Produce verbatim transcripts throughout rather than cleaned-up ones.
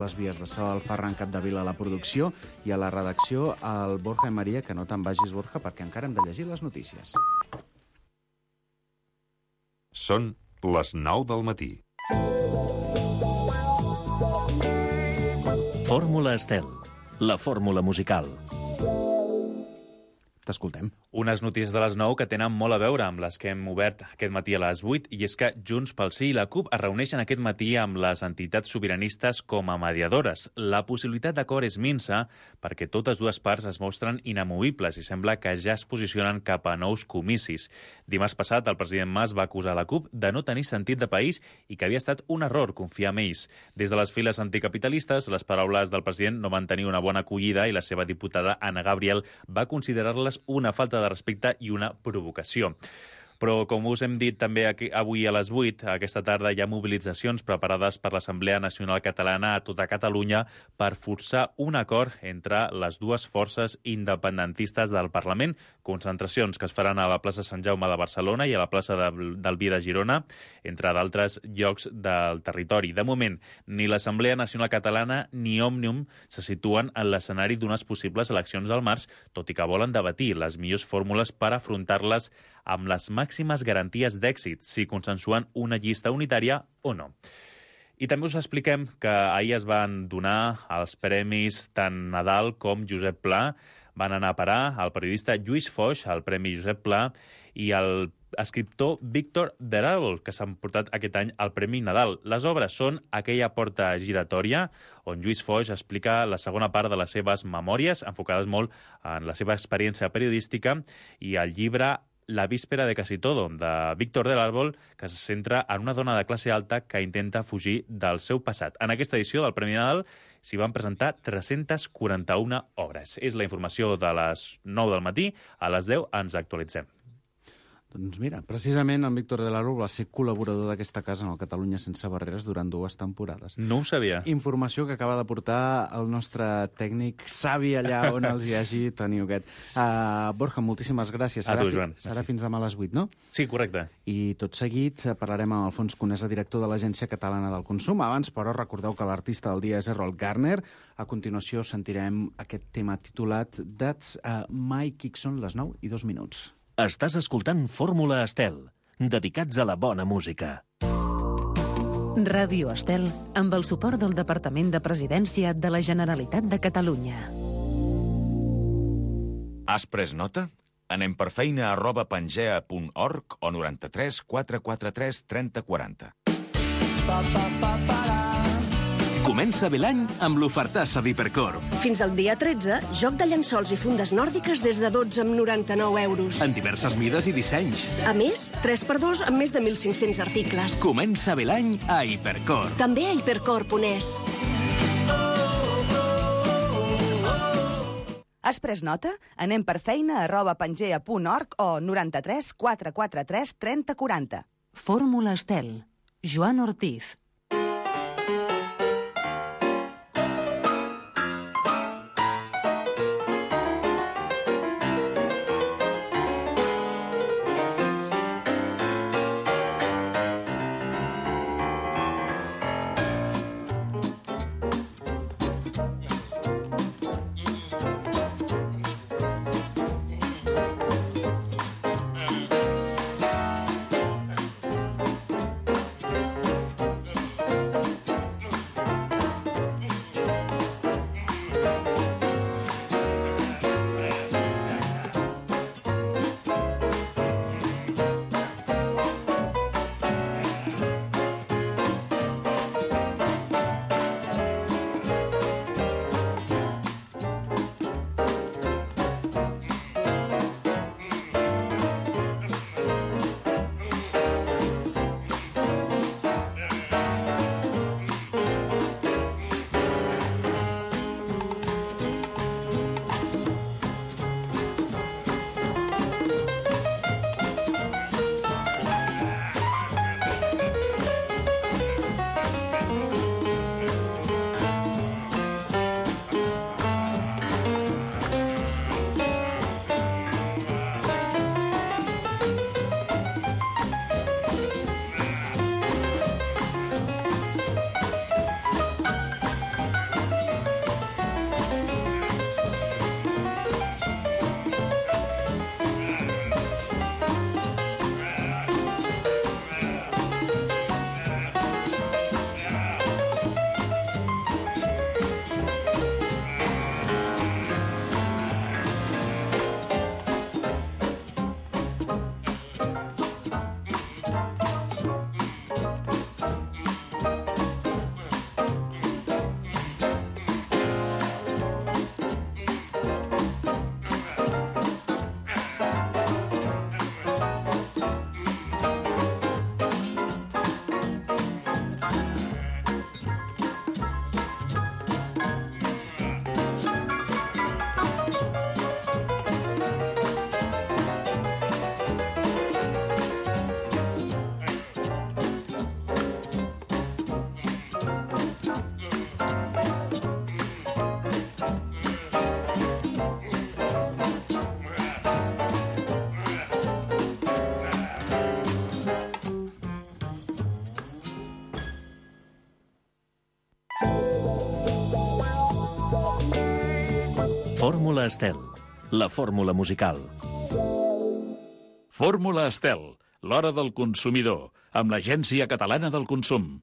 les vies de so, el Ferran Capdevila a la producció i a la redacció el Borja i Maria, que no te'n vagis, Borja, perquè encara hem de llegir les notícies. Són les nou del matí. Fórmula Estel, la fórmula musical. T'escoltem. Unes notícies de les nou que tenen molt a veure amb les que hem obert aquest matí a les vuit, i és que Junts pel Sí i la CUP es reuneixen aquest matí amb les entitats sobiranistes com a mediadores. La possibilitat d'acord és minsa perquè totes dues parts es mostren inamovibles i sembla que ja es posicionen cap a nous comicis. Dimarts passat, el president Mas va acusar la CUP de no tenir sentit de país i que havia estat un error confiar en ells. Des de les files anticapitalistes, les paraules del president no van tenir una bona acollida i la seva diputada Anna Gabriel va considerar-les una falta de respecte i una provocació. Però, com us hem dit també aquí, avui a les vuit, aquesta tarda hi ha mobilitzacions preparades per l'Assemblea Nacional Catalana a tota Catalunya per forçar un acord entre les dues forces independentistes del Parlament. Concentracions que es faran a la plaça Sant Jaume de Barcelona i a la plaça de, del Vi de Girona, entre d'altres llocs del territori. De moment, ni l'Assemblea Nacional Catalana ni Òmnium se situen en l'escenari d'unes possibles eleccions al març, tot i que volen debatir les millors fórmules per afrontar-les amb les màximes garanties d'èxit, si consensuen una llista unitària o no. I també us expliquem que ahir es van donar els premis tant Nadal com Josep Pla. Van anar a parar el periodista Lluís Foix, el Premi Josep Pla, i el escriptor Víctor Deràbol, que s'han portat aquest any el Premi Nadal. Les obres són Aquella porta giratòria, on Lluís Foix explica la segona part de les seves memòries, enfocades molt en la seva experiència periodística, i el llibre La víspera de casi todo, de Víctor del Árbol, que se centra en una dona de classe alta que intenta fugir del seu passat. En aquesta edició del Premi Nadal s'hi van presentar tres-centes quaranta-una obres. És la informació de les nou del matí. A les deu ens actualitzem. Doncs mira, precisament en Víctor de l'Árbol va ser col·laborador d'aquesta casa en el Catalunya Sense Barreres durant dues temporades. No ho sabia. Informació que acaba de portar el nostre tècnic savi allà on els hi hagi, Toni Huguet. Uh, Borja, moltíssimes gràcies. A Serà tu, Joan. Fi, serà fins demà a les vuit, no? Sí, correcte. I tot seguit parlarem amb Alfons Conesa, director de l'Agència Catalana del Consum. Abans, però, recordeu que l'artista del dia és Errol Garner. A continuació sentirem aquest tema titulat That's uh, My Kickson, les nou i dos minuts. Estàs escoltant Fórmula Estel, dedicats a la bona música. Ràdio Estel, amb el suport del Departament de Presidència de la Generalitat de Catalunya. Has pres nota? Anem per feina arroba pangea punt org o noranta-tres quatre quatre tres trenta quaranta. Pa, pa, pa, pa, Comença bé l'any amb l'ofertassa d'Hipercor. Fins al dia tretze, joc de llençols i fundes nòrdiques des de dotze amb noranta-nou euros. En diverses mides i dissenys. A més, tres per dos amb més de mil cinc-cents articles. Comença bé l'any a Hipercor. També a hipercor punt es. Has pres nota? Anem per feina arroba pangea punt org o noranta-tres quatre quatre tres trenta quaranta. Fórmula Estel. Joan Ortiz. Fórmula Estel, la fórmula musical. Fórmula Estel, l'hora del consumidor, amb l'Agència Catalana del Consum.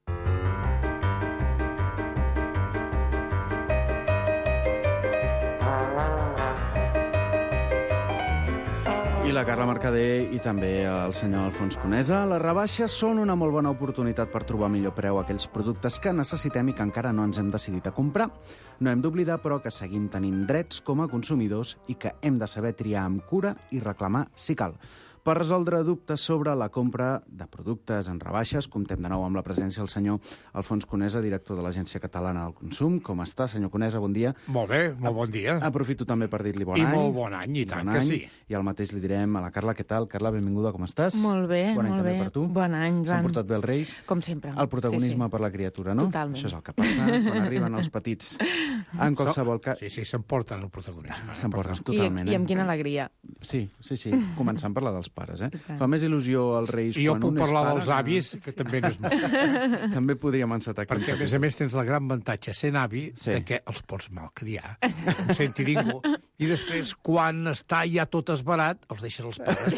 I la Carla Mercader i també el senyor Alfons Conesa. Les rebaixes són una molt bona oportunitat per trobar millor preu a aquells productes que necessitem i que encara no ens hem decidit a comprar. No hem d'oblidar, però, que seguim tenint drets com a consumidors i que hem de saber triar amb cura i reclamar si cal. Per resoldre dubtes sobre la compra de productes en rebaixes, comptem de nou amb la presència del senyor Alfons Conesa, director de l'Agència Catalana del Consum. Com està, senyor Conesa? Bon dia. Molt bé, molt bon dia. Aprofito també per dir-li bon I any. I molt bon any, i tant que sí. I el mateix li direm a la Carla. Què tal? Carla, benvinguda, com estàs? Molt bé, bon any molt també bé. Per tu. Bon any, Joan. S'han portat bé els Reis? Com sempre. El protagonisme sí, sí. per la criatura, no? Totalment. Això és el que passa quan arriben els petits. En qualsevol cas... Sí, sí, s'emporten el protagonisme. S'emporten totalment. I, I amb quina alegria. Sí, sí, sí. Començant per la dels pares, eh? Fa més il·lusió als Reis I jo quan puc un és parlar pare, dels avis, que també no és molt. També podríem encetar aquí. Perquè, a més a més, tens el gran avantatge sent avi Sí. de que els pots malcriar, no senti ningú, i després, quan està ja tot esbarat, els deixes als pares.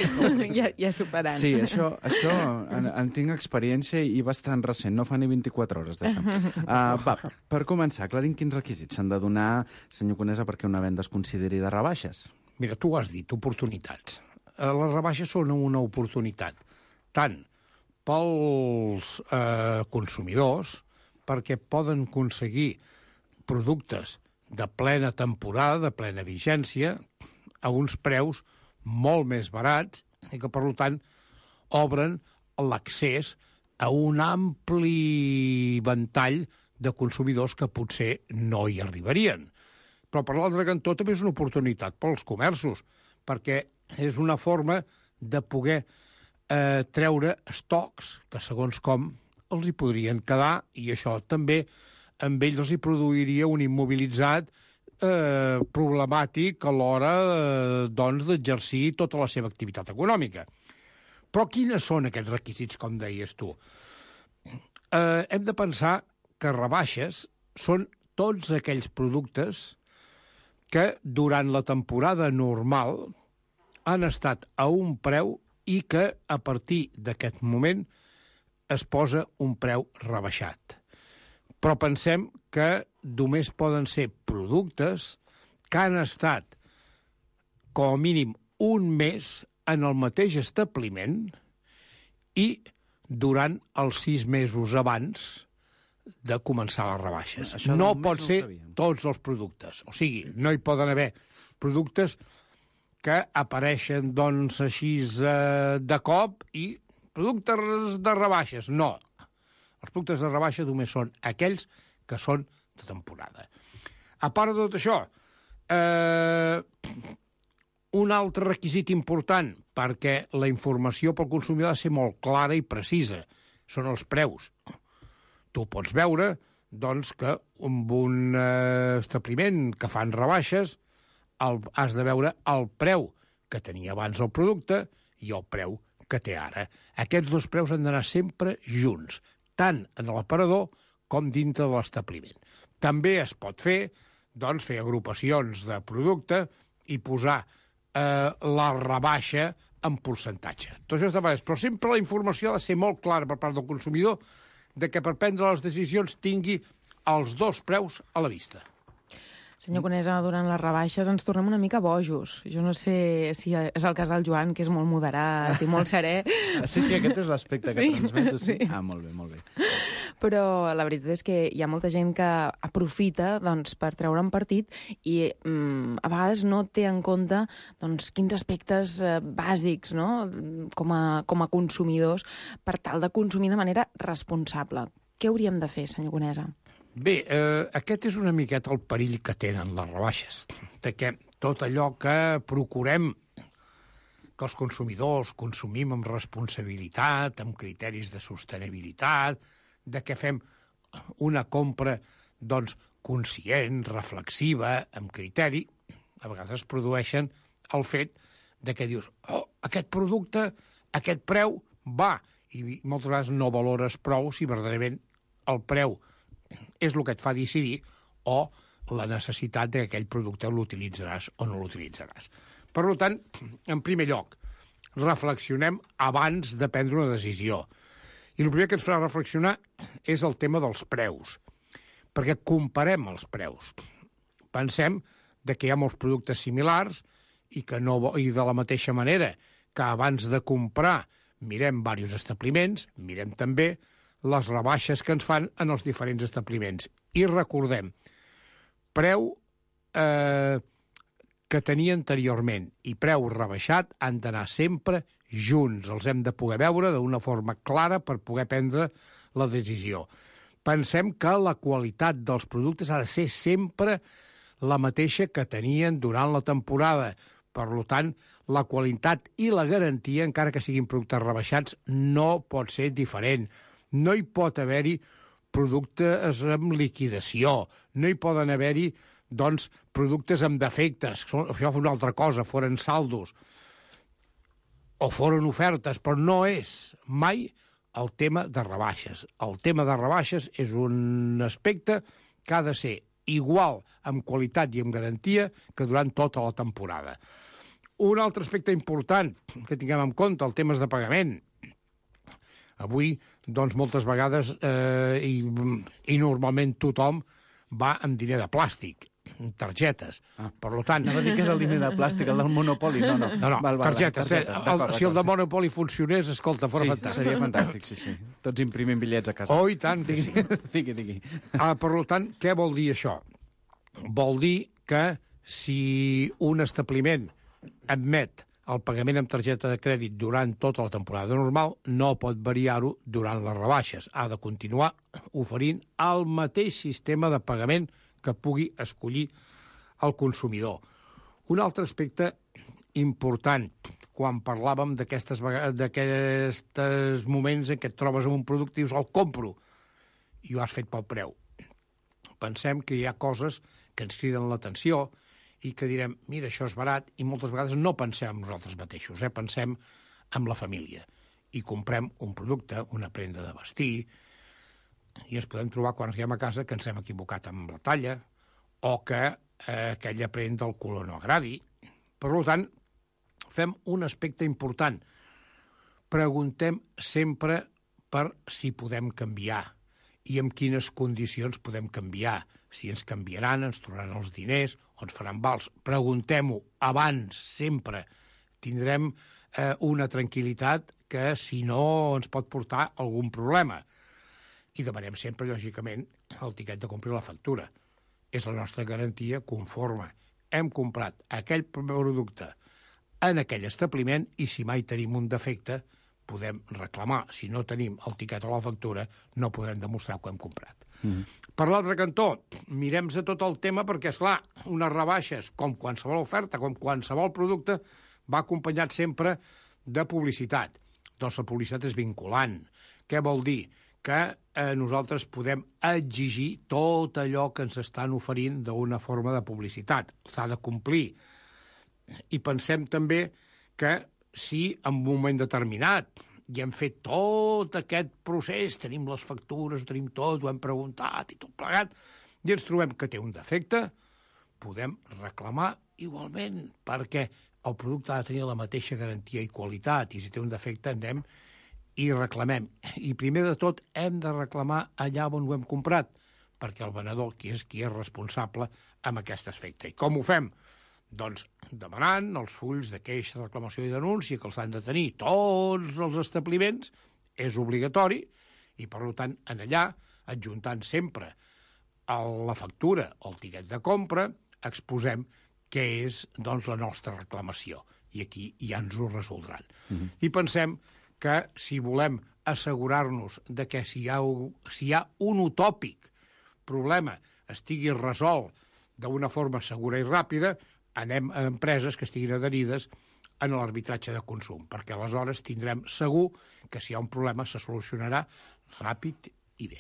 ja, ja superant. Sí, això, això en, en tinc experiència i bastant recent, no fa ni vint-i-quatre hores d'això. Uh, va, per començar, aclarim quins requisits s'han de donar, senyor Conesa, perquè una venda es consideri de rebaixes. Mira, tu ho has dit, oportunitats. Les rebaixes són una oportunitat, tant pels eh, consumidors, perquè poden aconseguir productes de plena temporada, de plena vigència, a uns preus molt més barats, i que, per tant, obren l'accés a un ampli ventall de consumidors que potser no hi arribarien. Però, per l'altre cantó, també és una oportunitat pels comerços, perquè és una forma de poder eh, treure estocs que, segons com, els hi podrien quedar, i això també amb ells els hi produiria un immobilitzat eh, problemàtic a l'hora eh, doncs, d'exercir tota la seva activitat econòmica. Però quines són aquests requisits, com deies tu? Eh, hem de pensar que rebaixes són tots aquells productes que durant la temporada normal han estat a un preu i que a partir d'aquest moment es posa un preu rebaixat. Però pensem que només poden ser productes que han estat com a mínim un mes en el mateix establiment i durant els sis mesos abans de començar les rebaixes. Això no només pot no ho ser sabíem. tots els productes. O sigui, no hi poden haver productes que apareixen, doncs, així eh, de cop i productes de rebaixes. No. Els productes de rebaixa només són aquells que són de temporada. A part de tot això, eh, un altre requisit important perquè la informació pel consumidor ha de ser molt clara i precisa són els preus. Tu pots veure, doncs, que amb un eh, establiment que fan rebaixes el, has de veure el preu que tenia abans el producte i el preu que té ara. Aquests dos preus han d'anar sempre junts, tant en l'aparador com dintre de l'establiment. També es pot fer, doncs, fer agrupacions de producte i posar eh, la rebaixa en percentatge. Tot això està bé, però sempre la informació ha de ser molt clara per part del consumidor de que per prendre les decisions tingui els dos preus a la vista. Senyor Conesa, durant les rebaixes ens tornem una mica bojos. Jo no sé si és el cas del Joan, que és molt moderat i molt serè. Sí, sí, aquest és l'aspecte que Sí, transmeto. Sí. sí. Ah, molt bé, molt bé. Però la veritat és que hi ha molta gent que aprofita doncs, per treure'n partit i mm, a vegades no té en compte doncs, quins aspectes eh, bàsics, no? com, a, com a consumidors per tal de consumir de manera responsable. Què hauríem de fer, senyor Conesa? Bé, eh, aquest és una miqueta el perill que tenen les rebaixes, de que tot allò que procurem que els consumidors consumim amb responsabilitat, amb criteris de sostenibilitat, de que fem una compra doncs, conscient, reflexiva, amb criteri, a vegades es produeixen el fet de que dius, oh, aquest producte, aquest preu, va, i moltes vegades no valores prou si verdaderament el preu és el que et fa decidir o la necessitat que aquell producte l'utilitzaràs o no l'utilitzaràs. Per tant, en primer lloc, reflexionem abans de prendre una decisió. I el primer que ens farà reflexionar és el tema dels preus, perquè comparem els preus. Pensem de que hi ha molts productes similars i que no, i de la mateixa manera que abans de comprar mirem diversos establiments, mirem també les rebaixes que ens fan en els diferents establiments. I recordem, preu eh, que tenia anteriorment i preu rebaixat han d'anar sempre junts. Els hem de poder veure d'una forma clara per poder prendre la decisió. Pensem que la qualitat dels productes ha de ser sempre la mateixa que tenien durant la temporada. Per tant, la qualitat i la garantia, encara que siguin productes rebaixats, no pot ser diferent. No hi pot haver-hi productes amb liquidació, no hi poden haver-hi doncs, productes amb defectes. Això fa una altra cosa, foren saldos o foren ofertes, però no és mai el tema de rebaixes. El tema de rebaixes és un aspecte que ha de ser igual amb qualitat i amb garantia que durant tota la temporada. Un altre aspecte important que tinguem en compte, el tema de pagament. Avui, doncs, moltes vegades, eh, i, i normalment tothom va amb diner de plàstic, targetes. Ah. Per tant... No va dir que és el diner de plàstic, el del Monopoli, no, no. No, no, val, val, targetes. targetes. El, si el de Monopoli funcionés, escolta, fora sí, fantàstic. Seria fantàstic, sí, sí. Tots imprimim bitllets a casa. Oh, i tant que sí. digui, digui. Ah, per tant, què vol dir això? Vol dir que si un establiment admet el pagament amb targeta de crèdit durant tota la temporada normal, no pot variar-ho durant les rebaixes. Ha de continuar oferint el mateix sistema de pagament que pugui escollir el consumidor. Un altre aspecte important, quan parlàvem d'aquestes moments en què et trobes amb un producte i dius, el compro, i ho has fet pel preu. Pensem que hi ha coses que ens criden l'atenció i que direm, mira, això és barat, i moltes vegades no pensem en nosaltres mateixos, eh? Pensem en la família. I comprem un producte, una prenda de vestir, i ens podem trobar quan arribem a casa que ens hem equivocat amb la talla o que eh, aquella prenda del color no agradi. Per tant, fem un aspecte important. Preguntem sempre per si podem canviar i en quines condicions podem canviar. Si ens canviaran, ens tornaran els diners o ens faran vals. Preguntem-ho abans, sempre. Tindrem eh, una tranquil·litat que, si no, ens pot portar algun problema. I demanem sempre, lògicament, el tiquet de compra i la factura. És la nostra garantia conforme. Hem comprat aquell producte en aquell establiment i si mai tenim un defecte podem reclamar. Si no tenim el tiquet o la factura, no podrem demostrar que ho hem comprat. Mm. Per l'altre cantó, mirem-se tot el tema perquè, esclar, unes rebaixes, com qualsevol oferta, com qualsevol producte, va acompanyat sempre de publicitat. Doncs la publicitat és vinculant. Què vol dir? Que eh, nosaltres podem exigir tot allò que ens estan oferint d'una forma de publicitat. S'ha de complir. I pensem també que si en un moment determinat i hem fet tot aquest procés, tenim les factures, tenim tot, ho hem preguntat i tot plegat, i ens trobem que té un defecte, podem reclamar igualment, perquè el producte ha de tenir la mateixa garantia i qualitat, i si té un defecte anem i reclamem. I primer de tot hem de reclamar allà on ho hem comprat, perquè el venedor qui és qui és responsable amb aquest efecte. I com ho fem? Doncs demanant els fulls de queixa, reclamació i denúncia que els han de tenir tots els establiments, és obligatori, i per tant, en allà, adjuntant sempre a la factura o el tiquet de compra, exposem què és doncs, la nostra reclamació. I aquí ja ens ho resoldran. Mm-hmm. I pensem que si volem assegurar-nos de que si hi ha, si hi ha un utòpic problema estigui resolt d'una forma segura i ràpida, anem a empreses que estiguin adherides en l'arbitratge de consum, perquè aleshores tindrem segur que si hi ha un problema se solucionarà ràpid i bé.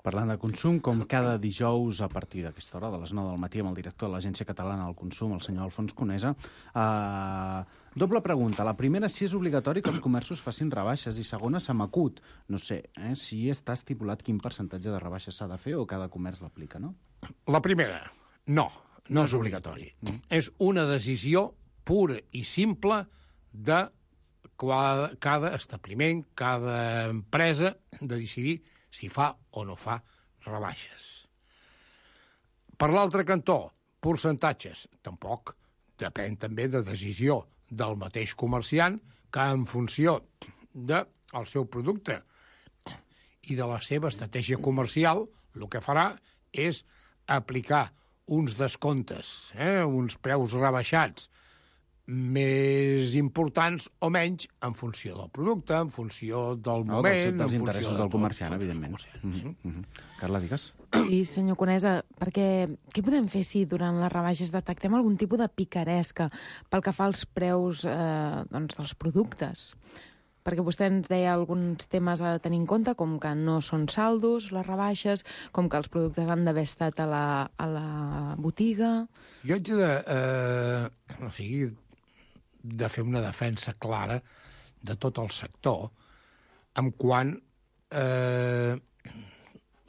Parlant de consum, com cada dijous a partir d'aquesta hora, de les nou del matí, amb el director de l'Agència Catalana del Consum, el senyor Alfons Conesa, eh, doble pregunta. La primera, si és obligatori que els comerços facin rebaixes, i segona, se m'acut. No sé, eh, si està estipulat quin percentatge de rebaixes s'ha de fer o cada comerç l'aplica, no? La primera, No, no és obligatori. Mm. És una decisió pura i simple de cada establiment, cada empresa, de decidir si fa o no fa rebaixes. Per l'altre cantó, percentatges, tampoc. Depèn també de decisió del mateix comerciant que en funció del seu producte i de la seva estratègia comercial, el que farà és aplicar uns descomptes, eh, uns preus rebaixats més importants o menys en funció del producte, en funció del no, moment... dels, dels en interessos funció del de comerciant, tot, evidentment. Comerciant. Mm-hmm. Mm-hmm. Carla, digues. Sí, senyor Conesa, perquè què podem fer si durant les rebaixes detectem algun tipus de picaresca pel que fa als preus eh, doncs, dels productes? Perquè vostè ens deia alguns temes a tenir en compte, com que no són saldos, les rebaixes, com que els productes han d'haver estat a la, a la botiga... Jo haig de, eh, o sigui, de fer una defensa clara de tot el sector, en quant... Eh,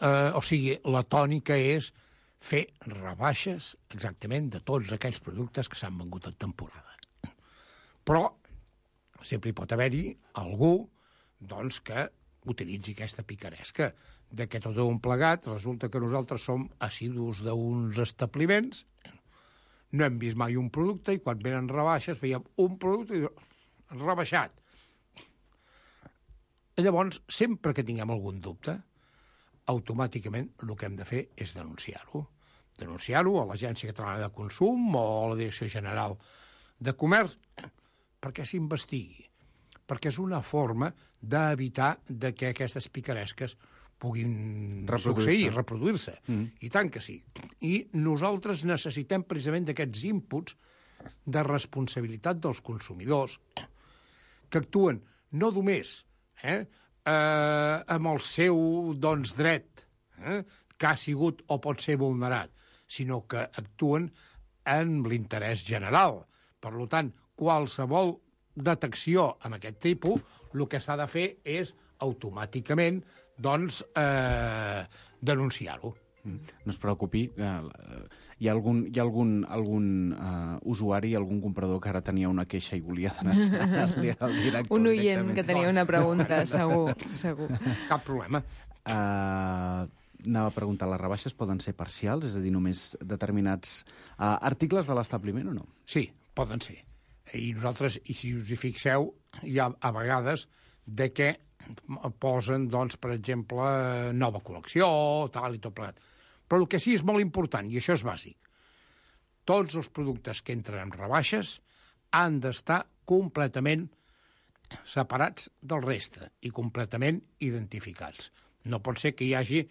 eh, o sigui, la tònica és fer rebaixes exactament de tots aquells productes que s'han vengut en temporada. Però sempre hi pot haver-hi algú doncs, que utilitzi aquesta picaresca. De que tot un plegat, resulta que nosaltres som assidus d'uns establiments, no hem vist mai un producte i quan venen rebaixes veiem un producte i rebaixat. Llavors, sempre que tinguem algun dubte, automàticament el que hem de fer és denunciar-ho. Denunciar-ho a l'Agència Catalana de Consum o a la Direcció General de Comerç perquè s'investigui, perquè és una forma d'evitar de que aquestes picaresques puguin succeir, reproduir-se. Mm. I tant que sí. I nosaltres necessitem precisament d'aquests inputs de responsabilitat dels consumidors que actuen no només eh, eh, amb el seu doncs, dret, eh, que ha sigut o pot ser vulnerat, sinó que actuen en l'interès general. Per tant, qualsevol detecció amb aquest tipus, el que s'ha de fer és automàticament doncs, eh, denunciar-ho. Mm. No es preocupi, eh, hi ha algun, hi ha algun, algun uh, usuari, algun comprador que ara tenia una queixa i volia donar-li al director. Un oient que tenia una pregunta, segur, segur. Cap problema. Uh, anava a preguntar, les rebaixes poden ser parcials, és a dir, només determinats uh, articles de l'establiment o no? Sí, poden ser. I nosaltres, i si us hi fixeu, hi ha a vegades de què posen, doncs, per exemple, nova col·lecció, tal i tot plegat. Però el que sí és molt important, i això és bàsic, tots els productes que entren en rebaixes han d'estar completament separats del reste i completament identificats. No pot ser que hi hagi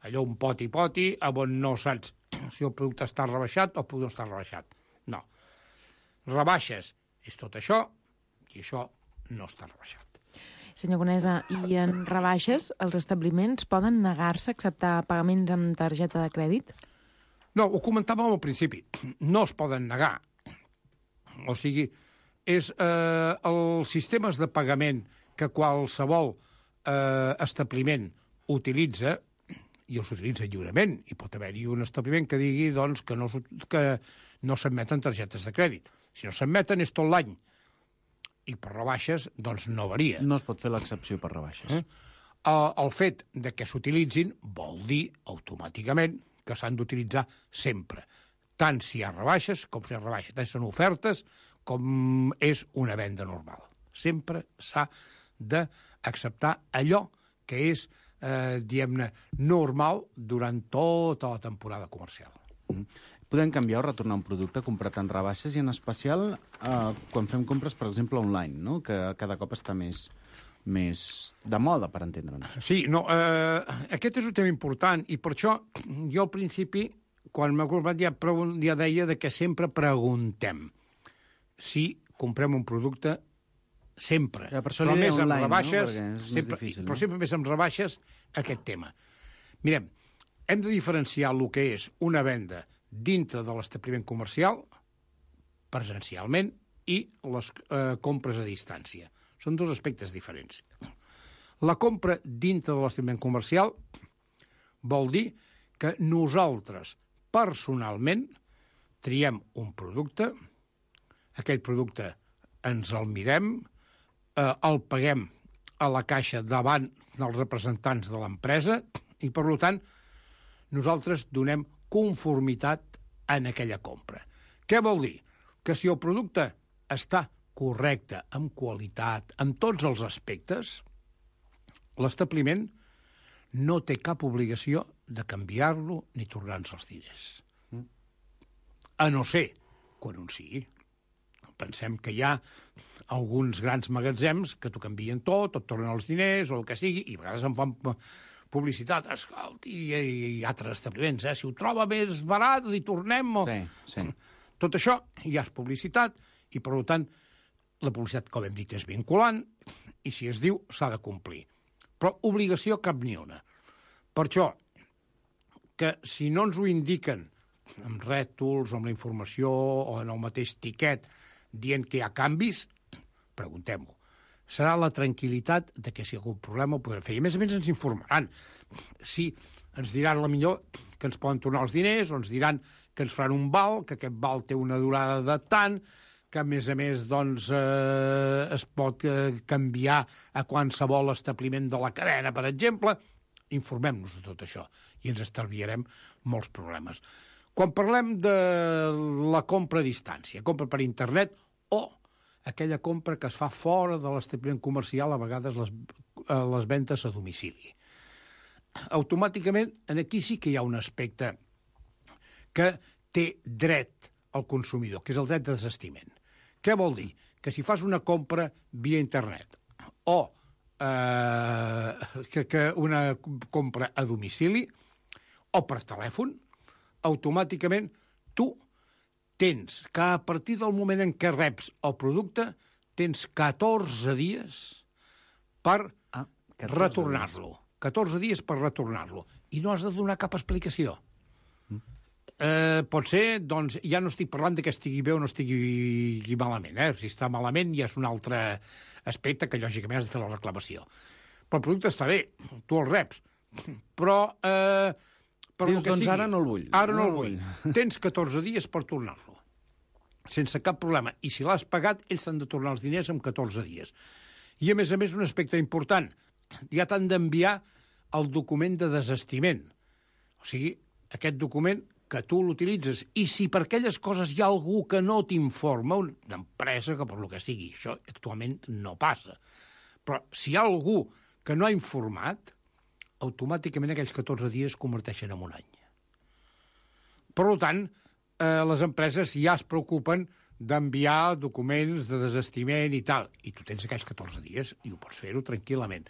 allò un poti-poti on no saps si el producte està rebaixat o el producte està rebaixat. No. Rebaixes és tot això i això no està rebaixat. Senyor Conesa, i en rebaixes els establiments poden negar-se a acceptar pagaments amb targeta de crèdit? No, ho comentàvem al principi. No es poden negar. O sigui, és eh, els sistemes de pagament que qualsevol eh, establiment utilitza, i els utilitza lliurement, i pot haver-hi un establiment que digui doncs, que no, que no s'admeten targetes de crèdit. Si no s'admeten és tot l'any. I per rebaixes, doncs no varia. No es pot fer l'excepció per rebaixes. Eh? El, el fet de que s'utilitzin vol dir automàticament que s'han d'utilitzar sempre. Tant si hi ha rebaixes com si hi ha rebaixes. Tant si són ofertes com és una venda normal. Sempre s'ha d'acceptar allò que és, eh, diguem-ne, normal durant tota la temporada comercial. Mm. Podem canviar o retornar un producte comprat en rebaixes i en especial eh, quan fem compres, per exemple, online, no? Que cada cop està més, més de moda, per entendre'ns. Sí, no, eh, aquest és un tema important i per això jo al principi, quan m'ha comprat, ja, ja deia de que sempre preguntem si comprem un producte sempre, ja, per això però més online, amb rebaixes, no? És sempre, més difícil, però no? sempre més amb rebaixes aquest tema. Mirem, hem de diferenciar el que és una venda dintre de l'establiment comercial, presencialment, i les eh, compres a distància. Són dos aspectes diferents. La compra dintre de l'establiment comercial vol dir que nosaltres, personalment, triem un producte, aquell producte ens el mirem, eh, el paguem a la caixa davant dels representants de l'empresa i, per tant, nosaltres donem conformitat en aquella compra. Què vol dir? Que si el producte està correcte, amb qualitat, amb tots els aspectes, l'establiment no té cap obligació de canviar-lo ni tornar-nos els diners. A no ser quan un sigui. Pensem que hi ha alguns grans magatzems que t'ho canvien tot, et tornen els diners o el que sigui, i a vegades em fan publicitat, escolti, i, i altres establiments, eh? Si ho troba més barat, li tornem... O... Sí, sí. Tot això ja és publicitat i, per tant, la publicitat, com hem dit, és vinculant i, si es diu, s'ha de complir. Però obligació cap ni una. Per això, que si no ens ho indiquen amb rètols, o amb la informació, o en el mateix tiquet, dient que hi ha canvis, preguntem-ho. Serà la tranquil·litat de que si hi ha algun problema ho podrem fer. I a més a més ens informaran. Sí, ens diran la millor que ens poden tornar els diners, o ens diran que ens faran un val, que aquest val té una durada de tant, que a més a més doncs, eh, es pot eh, canviar a qualsevol establiment de la cadena, per exemple. Informem-nos de tot això i ens estalviarem molts problemes. Quan parlem de la compra a distància, compra per internet o aquella compra que es fa fora de l'establiment comercial, a vegades les, les ventes a domicili. Automàticament, aquí sí que hi ha un aspecte que té dret al consumidor, que és el dret de desistiment. Què vol dir? Que si fas una compra via internet o eh, que, que una compra a domicili o per telèfon, automàticament tu tens que a partir del moment en què reps el producte tens catorze dies per ah, retornar-lo. catorze dies per retornar-lo. I no has de donar cap explicació. Mm. Eh, pot ser, doncs, ja no estic parlant de que estigui bé o no estigui malament. Eh? Si està malament ja és un altre aspecte que, lògicament, has de fer la reclamació. Però el producte està bé, tu el reps. Però... Eh, Per Dius, doncs sigui, ara no el vull. Ara no, no el vull. vull. Tens catorze dies per tornar-lo. Sense cap problema. I si l'has pagat, ells t'han de tornar els diners en catorze dies. I, a més a més, un aspecte important. Ja t'han d'enviar el document de desistiment. O sigui, aquest document que tu l'utilitzes. I si per aquelles coses hi ha algú que no t'informa, una empresa que per lo que sigui, això actualment no passa. Però si hi ha algú que no ha informat, automàticament aquells catorze dies es converteixen en un any. Per tant, eh, les empreses ja es preocupen d'enviar documents de desistiment i tal, i tu tens aquells catorze dies i ho pots fer-ho tranquil·lament.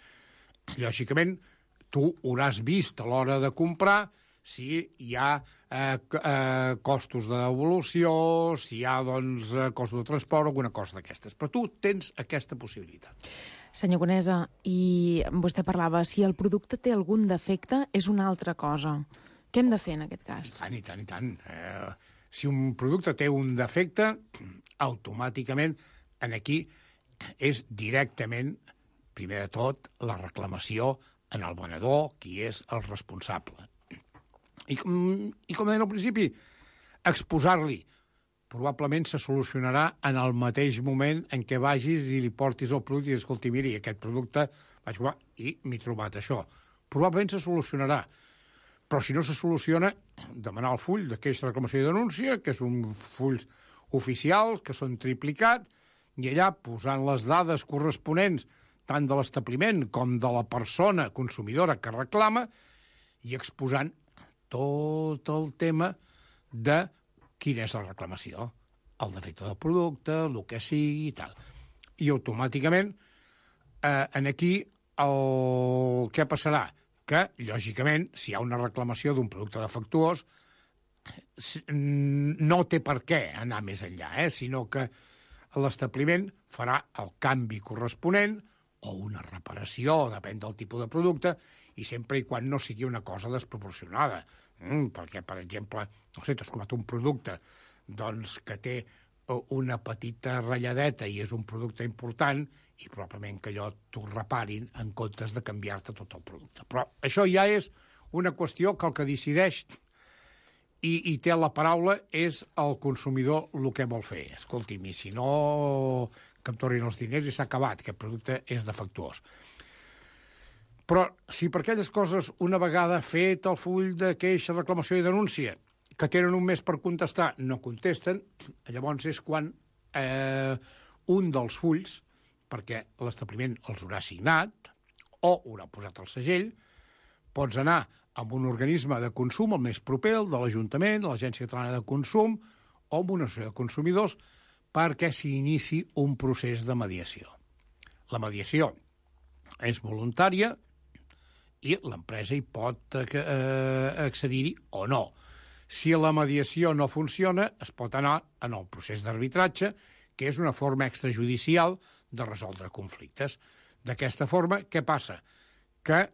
Lògicament, tu hauràs vist a l'hora de comprar si hi ha eh, eh, costos de devolució, si hi ha doncs, costos de transport o alguna cosa d'aquestes. Però tu tens aquesta possibilitat. Senyor Conesa, i vostè parlava, si el producte té algun defecte, és una altra cosa. Què hem de fer en aquest cas? I tant, i tant, i tant. Eh, si un producte té un defecte, automàticament, en aquí, és directament, primer de tot, la reclamació en el venedor, qui és el responsable. I, i com deia al principi, exposar-li. Probablement se solucionarà en el mateix moment en què vagis i li portis el producte i dius, escolti, miri, aquest producte vaig provar i m'he trobat això. Probablement se solucionarà. Però si no se soluciona, demanar el full de queixa, reclamació i denúncia, que és un full oficial, que són triplicat, i allà posant les dades corresponents tant de l'establiment com de la persona consumidora que reclama i exposant tot el tema de quina és la reclamació, el defecte del producte, el que sigui i tal. I automàticament, eh, en aquí, el... què passarà? Que, lògicament, si hi ha una reclamació d'un producte defectuós, no té per què anar més enllà, eh? Sinó que l'establiment farà el canvi corresponent o una reparació, depèn del tipus de producte, i sempre i quan no sigui una cosa desproporcionada. Mm, perquè, per exemple, no sé, t'has comprat un producte doncs, que té una petita ratlladeta i és un producte important i probablement que allò t'ho reparin en comptes de canviar-te tot el producte. Però això ja és una qüestió que el que decideix i, i té la paraula, és el consumidor el que vol fer. Escolti'm, i si no, que em tornin els diners i s'ha acabat, que el producte és defectuós. Però si per aquelles coses, una vegada fet el full de queixa, reclamació i denúncia, que tenen un mes per contestar, no contesten, llavors és quan eh, un dels fulls, perquè l'establiment els haurà signat o haurà posat el segell, pots anar amb un organisme de consum, el més proper, el de l'Ajuntament, l'Agència Catalana de Consum, o amb una associació de consumidors, perquè s'inici un procés de mediació. La mediació és voluntària i l'empresa hi pot eh, accedir-hi o no. Si la mediació no funciona, es pot anar en el procés d'arbitratge, que és una forma extrajudicial de resoldre conflictes. D'aquesta forma, què passa? Que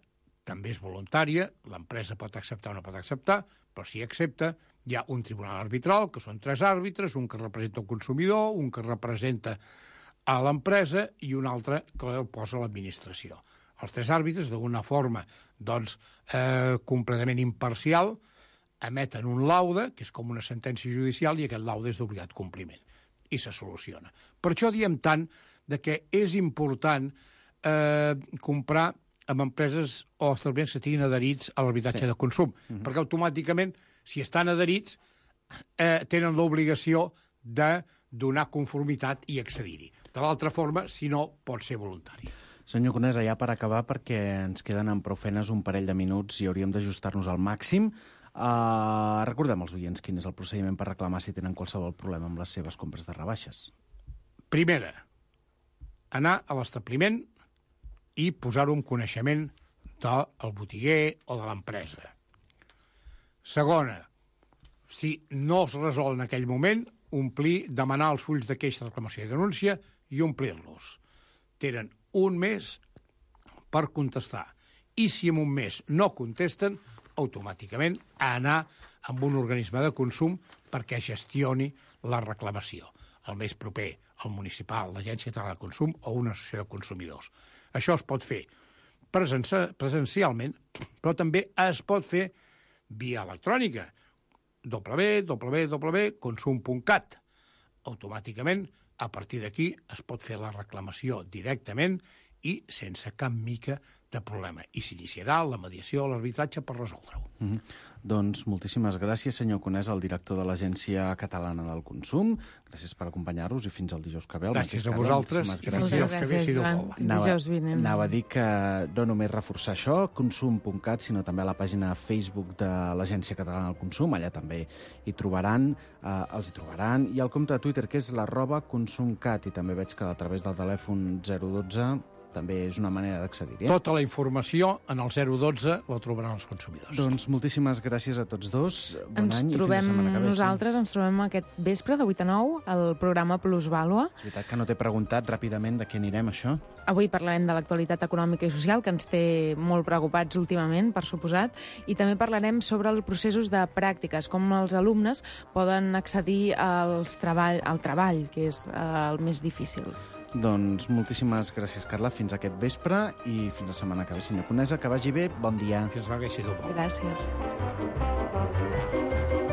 també és voluntària, l'empresa pot acceptar o no pot acceptar, però si accepta, hi ha un tribunal arbitral, que són tres àrbitres, un que representa el consumidor, un que representa a l'empresa i un altre que el posa a l'administració. Els tres àrbitres, d'una forma doncs, eh, completament imparcial, emeten un laude, que és com una sentència judicial, i aquest laude és d'obligat compliment, i se soluciona. Per això diem tant de que és important eh, comprar amb empreses o establiments que estiguin adherits a l'arbitratge sí. de consum, uh-huh. perquè automàticament, si estan adherits, eh, tenen l'obligació de donar conformitat i accedir-hi. De l'altra forma, si no, pot ser voluntari. Senyor Conesa, ja per acabar, perquè ens queden en prou feines un parell de minuts i hauríem d'ajustar-nos al màxim, uh, recordem als oients quin és el procediment per reclamar si tenen qualsevol problema amb les seves compres de rebaixes. Primera, anar a l'establiment i posar-ho en coneixement del botiguer o de l'empresa. Segona, si no es resol en aquell moment, omplir, demanar els fulls de queixa, reclamació i denúncia i omplir-los. Tenen un mes per contestar. I si en un mes no contesten, automàticament anar amb un organisme de consum perquè gestioni la reclamació. El més proper, el municipal, l'Agència Catalana de Consum o una associació de consumidors. Això es pot fer presencialment, però també es pot fer via electrònica. w w w punt consum punt cat. Automàticament, a partir d'aquí, es pot fer la reclamació directament i sense cap mica de problema. I s'iniciarà la mediació o l'arbitratge per resoldre-ho. Mm-hmm. Doncs moltíssimes gràcies, senyor Conesa, el director de l'Agència Catalana del Consum. Gràcies per acompanyar-nos i fins al dijous que ve. Gràcies a vosaltres i fins dijous que ve, si Déu vol. Anava, anava a dir que no només reforçar això, consum punt cat, sinó també a la pàgina Facebook de l'Agència Catalana del Consum. Allà també hi trobaran, eh, els hi trobaran. I el compte de Twitter, que és l'arroba consumcat, i també veig que a través del telèfon zero dotze també és una manera d'accedir-hi. Eh? Tota la informació en el zero dotze la trobaran els consumidors. Doncs moltíssimes gràcies a tots dos. Bon ens any i trobem, fins la setmana que ve. Nosaltres ens trobem aquest vespre de vuit a nou al programa Plusvàlua. És veritat que no t'he preguntat ràpidament de què anirem, això. Avui parlarem de l'actualitat econòmica i social, que ens té molt preocupats últimament, per suposat, i també parlarem sobre els processos de pràctiques, com els alumnes poden accedir als treball, al treball, que és eh, el més difícil. Doncs moltíssimes gràcies, Carla. Fins aquest vespre i fins la setmana que ve, senyor Conesa. Que vagi bé. Bon dia. Fins la setmana que ve, si Déu vol. Gràcies.